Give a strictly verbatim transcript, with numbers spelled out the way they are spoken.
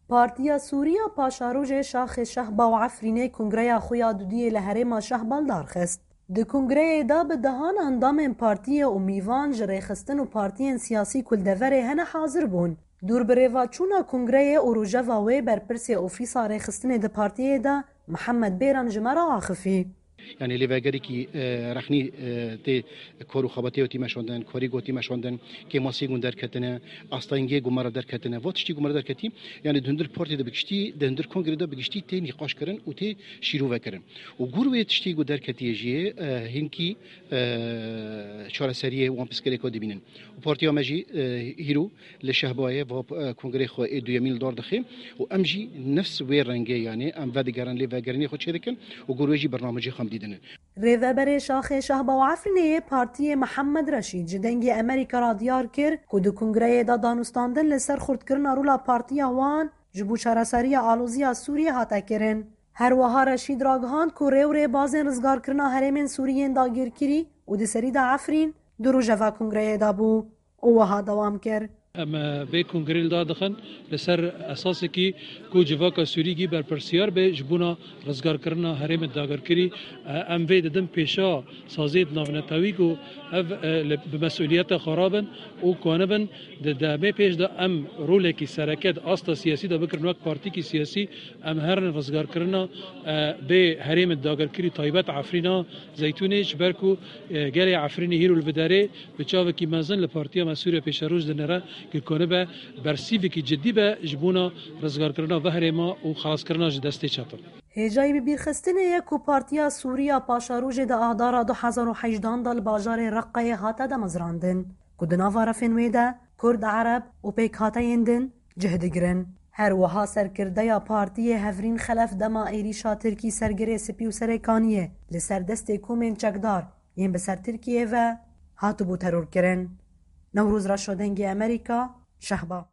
Partiya Sûriya Paşarojê Şaxê Şehba û Efrînê kongreya xwe ya dudiyê li herêma Şehba li dar xist. Di kongreyê de bi dehan endamên partiyê û mîvan ji rêxistin û partiyên siyasî ku li deverê hene hazir bûn. Dûr bi rêvaçûna kongreyê û rojeva wê berpirsê ofîsa rêxistinê di partiyê de Mihemed Bêran ji me re axifî. Yanî lêvegerekî, e, rexnî, e, tê kar û xebatê wetî meşandin, karî gotî meşandin, kêmasî gun derketine, astayîngê gun me re derketine. Va tiştî gun me re derketî, yanî di hundir partî de bi giştî, di hundir kongrê de bi giştî tê nîqaş kirin û tê şîrove kirin. Û gor wê tiştî gu derketiye jî, e, hinkî, e, çareseriyê wan pirsgirêka dibînin. Û partiya me jî, e, hîro li Şehbayê va, e, kongrê xwe ê duyemîn li dar dixê û em jî nefs wê rengê, yanî em vedigerin lê vegerînê xwe çêdikin û gor wê jî bernamecê xwe em dîdinin. Rêveberê Şaxê Şehba û Efrînê yê partiyê Mihemed Reşîd ji Dengê Emerîka re diyar kir ku di kongreyê de danûstandin li ser xurtkirina rola partiya wan ji bo çareseriya aloziya Sûriyê hate kirin. Her wiha Reşîd ragihand ku rê û rêbazên rizgarkirina herêmên Sûrî yên dagîrkirî û di serî de Efrîn di rojeva kongreyê de bû û wiha dewam kir. Em, e, vê kongrê li dar dixin li ser esasekî ku civaka Sûrî gî berpirsiyar be ji bona rizgarkirina herêmê dagirkirî. E, em vê didin pêşa saziyê navnetewî ku ev, e, li, bi mesuliyeta xwe rabin û kanibin di demê pêş de em rolekî sereke di asta siyasî de bikirin wek partîkî siyasî. Em herin rizgarkirina, e, vê herêmê dagirkirî taybet Efrîna Zeytûnê, ji ber ku, e, gelê Efrînê hîro li vê derê bi çavekî mezin li partiya me Sûriya Pêşeroj dinêre, ku konibe bersîvekî cidî be ji bona rizgarkirina ve herêma û xelaskirina ji destê çetin. Hêjayî bibîrxistinê ye ku Partiya Sûriya Paşarojê di Adara du hezar û hejdehan de li bajarê Reqqayê hate damezrandin, ku di nava refên wê de Kurd, Ereb û pêkhateyên din cih digirin. Her wiha serkirdeya partiyê Hevrîn Xelef dema êrîşa Tirkî ser Girê Spî û Serêkaniyê li ser destê komên çekdar yên bi ser Tirkiyê ve hatibû terorkirin. Newroz Reşo, Dengê Emerîka, Şehba.